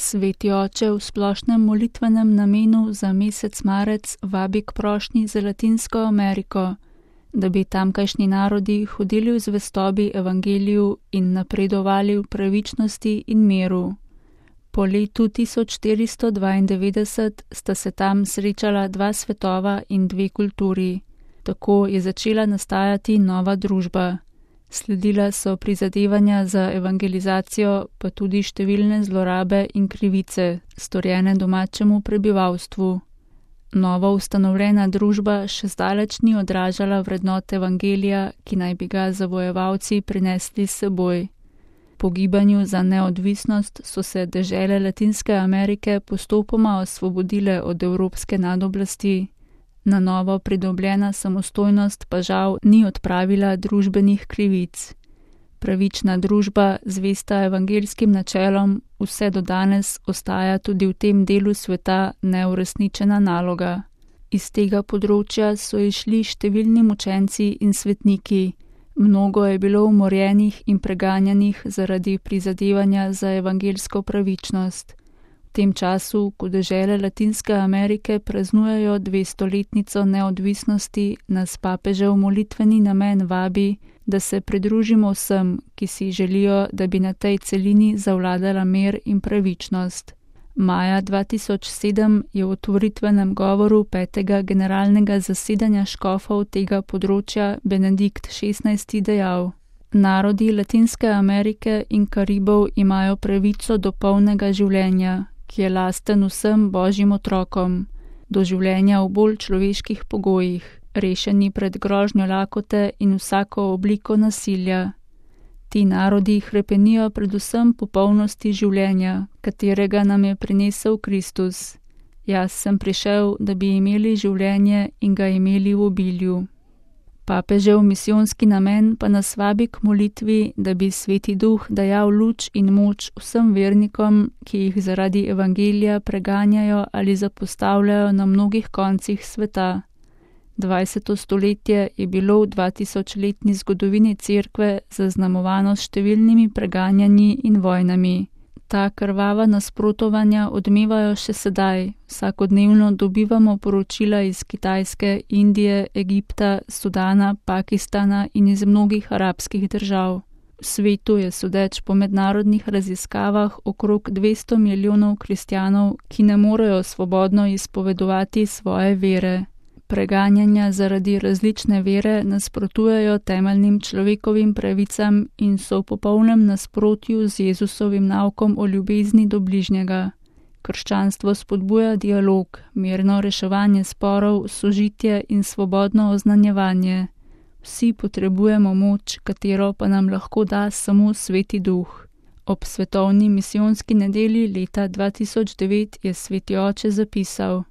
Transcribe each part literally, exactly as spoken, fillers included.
Sveti oče v splošnem molitvenem namenu za mesec marec vabi k prošnji za Latinsko Ameriko, da bi tamkajšnji narodi hodili v zvestobi evangeliju in napredovali v pravičnosti in miru. Po letu tisoč štiristo dvaindevetdeset sta se tam srečala dva svetova in dve kulturi. Tako je začela nastajati nova družba. Sledila so prizadevanja za evangelizacijo, pa tudi številne zlorabe in krivice, storjene domačemu prebivalstvu. Novo ustanovljena družba še zdaleč ni odražala vrednot evangelija, ki naj bi ga zavojevalci prinesli s seboj. Po gibanju za neodvisnost so se dežele Latinske Amerike postopoma osvobodile od evropske nadoblasti. Na novo pridobljena samostojnost pa žal ni odpravila družbenih krivic. Pravična družba, zvesta evangelskim načelom, vse do danes ostaja tudi v tem delu sveta neuresničena naloga. Iz tega področja so išli številni mučenci in svetniki. Mnogo je bilo umorjenih in preganjanih zaradi prizadevanja za evangelsko pravičnost. V tem času, ko dežele Latinske Amerike praznujejo dvestoletnico neodvisnosti, nas papežev molitveni namen vabi, da se pridružimo vsem, ki si želijo, da bi na tej celini zavladala mir in pravičnost. Maja dva tisoč sedem je v otvoritvenem govoru petega generalnega zasedanja škofov tega področja Benedikt šestnajsti dejal: Narodi Latinske Amerike in Karibov imajo pravico do polnega življenja, ki je lasten vsem božjim otrokom, do življenja v bolj človeških pogojih, rešeni pred grožnjo lakote in vsako obliko nasilja. Ti narodi hrepenijo predvsem po polnosti življenja, katerega nam je prinesel Kristus. Jaz sem prišel, da bi imeli življenje in ga imeli v obilju. Papežev misijonski namen pa nas vabi k molitvi, da bi Sveti Duh dajal luč in moč vsem vernikom, ki jih zaradi evangelija preganjajo ali zapostavljajo na mnogih koncih sveta. dvajseto stoletje je bilo v dvatisočletni zgodovini Cerkve zaznamovano s številnimi preganjanji in vojnami. Ta krvava nasprotovanja odmevajo še sedaj. Vsakodnevno dobivamo poročila iz Kitajske, Indije, Egipta, Sudana, Pakistana in iz mnogih arabskih držav. V svetu je sodeč po mednarodnih raziskavah okrog dvesto milijonov kristjanov, ki ne morejo svobodno izpovedovati svoje vere. Preganjanja zaradi različne vere nasprotujejo temeljnim človekovim pravicam in so v popolnem nasprotju z Jezusovim naukom o ljubezni do bližnjega. Krščanstvo spodbuja dialog, mirno reševanje sporov, sožitje in svobodno oznanjevanje. Vsi potrebujemo moč, katero pa nam lahko da samo Sveti Duh. Ob svetovni misijonski nedelji leta dva tisoč devet je Sveti oče zapisal: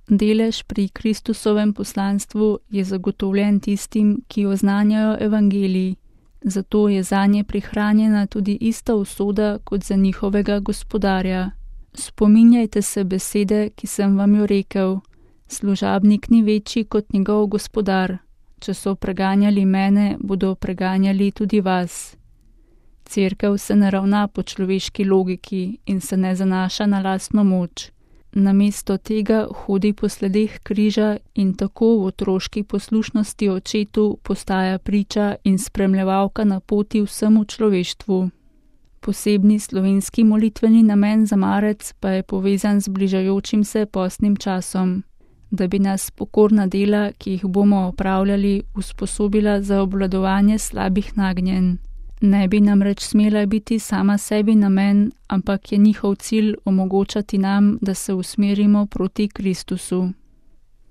Delež pri Kristusovem poslanstvu je zagotovljen tistim, ki oznanjajo evangelij, zato je zanje prihranjena tudi ista usoda kot za njihovega gospodarja. Spominjajte se besede, ki sem vam jo rekel, služabnik ni večji kot njegov gospodar. Če so preganjali mene, bodo preganjali tudi vas. Cerkev se ne ravna po človeški logiki in se ne zanaša na lastno moč. Namesto tega hodi po sledeh križa in tako v otroški poslušnosti očetu postaja priča in spremljevalka na poti vsemu človeštvu. Posebni slovenski molitveni namen za marec pa je povezan z bližajočim se postnim časom, da bi nas pokorna dela, ki jih bomo opravljali, usposobila za obvladovanje slabih nagnjenj. Ne bi namreč smela biti sama sebi namen, ampak je njihov cilj omogočati nam, da se usmerimo proti Kristusu.